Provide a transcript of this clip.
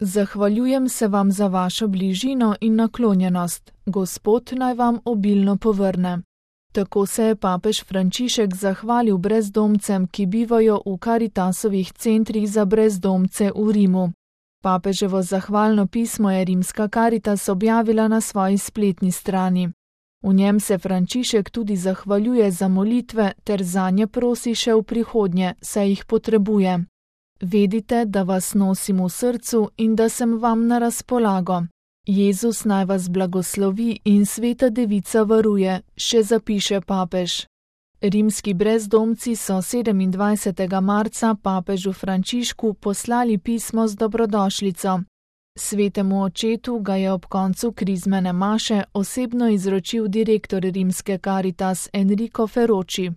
Zahvaljujem se vam za vašo bližino in naklonjenost. Gospod naj vam obilno povrne. Tako se je papež Frančišek zahvalil brezdomcem, ki bivajo v Karitasovih centrih za brezdomce v Rimu. Papeževo zahvalno pismo je rimska Karitas objavila na svoji spletni strani. V njem se Frančišek tudi zahvaljuje za molitve ter zanje prosi še v prihodnje, saj jih potrebuje. Vedite, da vas nosim v srcu in da sem vam na razpolago. Jezus naj vas blagoslovi in Sveta Devica varuje, še zapiše papež. Rimski brezdomci so 27. marca papežu Frančišku poslali pismo z dobrodošlico. Svetemu očetu ga je ob koncu krizmene maše osebno izročil direktor rimske Karitas Enrico Ferroci.